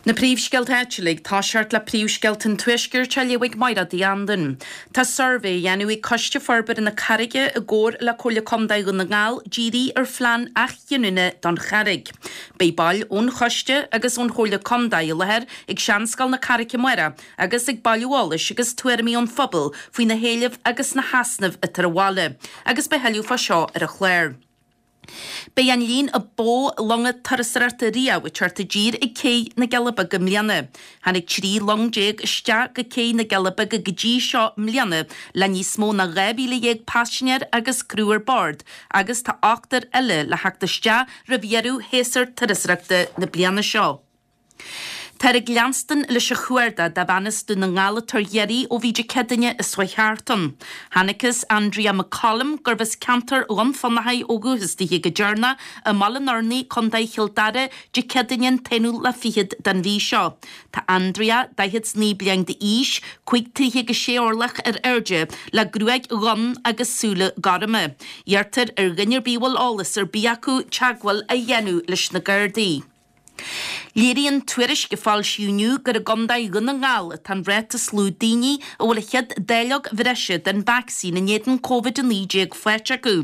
Na príomhscéalta áitiúla ag toiseacht le príomhscéalta an Tuaiscirt á léamh ag Mairéad Uí Anluain. Tá suirbhé á dhéanamh ag Coiste Forbartha na Carraige i gcomhar le Comhairle Contae Dhún na nGall dírithe ar phlean athghiniúna don Charraig. Beidh baill ón choiste agus ón Chomhairle Contae i láthair ag Seanscoil na Carraice amárach agus ag bailiú eolais agus tuairimí ón phobal faoi na héilimh agus na heasnaimh atá ar an bhaile agus beidh thuilleadh fá seo ar an chlár. Beidh an líon a ba mhó longa turasóireachta riamh ag teacht i dtír ag Cé na gCealla Beaga i mbliana. Tháinig 13 long isteach go Cé na gCealla Beaga go dtí seo i mbliana le níos mó ná 12,000 paisinéir agus criú ar bord agus tá ochtar eile le theacht isteach roimh dheireadh shéasúr turasóireachta na bliana seo. Táthar ag leanstan leis an chuardach do bhean as Dún na nGall atá ar iarraidh ó bhí Dé Céadaoine as a thart ann. Chonacthas Andrea McCollum, gurbh as ceantar Dhún Fionnachaidh ó dhúchas dithe go deireanach i mBaile an Fhornaigh, Contae Chill Dara, Dé Céadaoine an t-aonú lá fichead den mhí seo. Tá Andrea, 49 bliain d'aois, 5 troithe agus 6 orlach ar airde, le gruaig dhonn agus súile gorma. Iarrtar ar dhuine ar bith a bhfuil eolas ar bith acu teagmháil a dhéanamh leis na Gardaí. Léiríonn tuairisc a foilsíodh inniu gur i gContae Dhún na nGall atá an ráta is lú daoine a bhfuil an chéad dáileog bhreise den vacsaín in éadan Covid-19 faighte acu.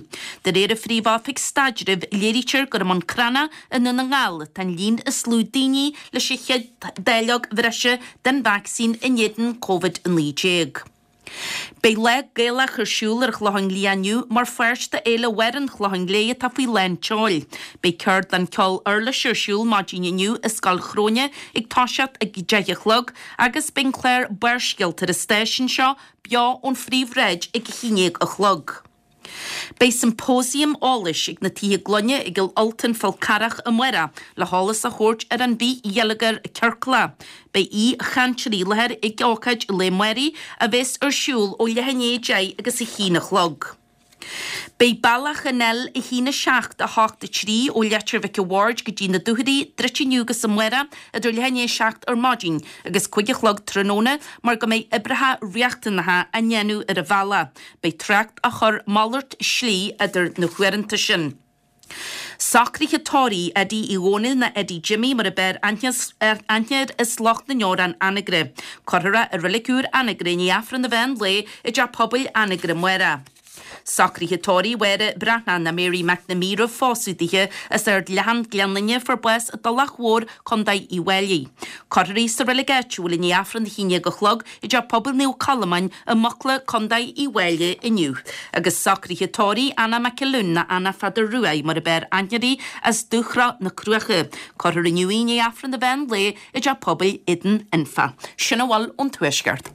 De réir an Phríomh-Oifig Staidrimh, léirítear gur i mBun Cranncha i nDún na nGall atá an líon is lú daoine leis an chéad dáileog bhreise den vacsaín in éadan Covid-19. Beidh Lá Gaelach ar siúl ar an Chlochán Liath inniu mar pháirt de Fhéile Bharr an Chlocháin Léith atá faoi lán tseoil. Beidh ceardlann ceol uirlise ar siúl maidin inniu i Scoil Chróine ag toiseacht ag 10 a chlog agus beidh an clár Barrscéalta ar an stáisiún seo beo ón Phríomhshráid ag 11 a chlog. Beidh symposium eolais ag na Tithe Gloine i gCill Ultain Fál Carrach amárach le heolas a thabhairt ar an bhfrithgheilleagar ciorclach. Beidh aoi-chainteoirí i láthair ag ócáid lae amárach a bheas ar siúl ó leath i ndiaidh 10 agus 1 a chlog. Beidh bealach an L1 7 8 3 ó Leitir Mhic a' Bhaird go dtí na Dúchoraidh druidte inniu agus amárach idir leath i ndiaidh 7 ar maidin agus 5 a chlog tráthnóna mar go mbeidh oibreacha riachtanacha á ndéanamh ar an bhealach. Beidh trácht á chur malairt slí idir na huaireanta sin. Socruithe tórraimh Eddie Uí Dhónaill nó Eddie Jimmy mar a b'fhearr aithne air as lucht na nDeorán Anagaire. Cuirfear é i Reilig Úr Anagaire i ndiaidh Aifreann an mheán lae i dTeach Pobail Anagaire amárach. Socruithe tórraimh Mháire Breathnach nó Mary McNamee roimh phósadh dithe as Ard Leathan, Gleann Fhinne, fuair bás i dTulach Mhór, Co. Uíbh Fhailí. Cuirfear í sa reilig áitiúil i ndiaidh Aifreann a 11 a chlog i dTeach Pobail Naomh Colmáin i Mucla, Co. Uíbh Fhailí inniu. Agus socruithe tórraimh Anna McAloon nó Anna Pheadair Ruaidh mar a b'fhearr aithne uirthi as Dúshraith na Cruaiche. Cuirfear inniu í i ndiaidh Aifreann an mheán lae i dTeach Pobail Éadan Anfa. Sin a bhfuil ón Tuaisceart.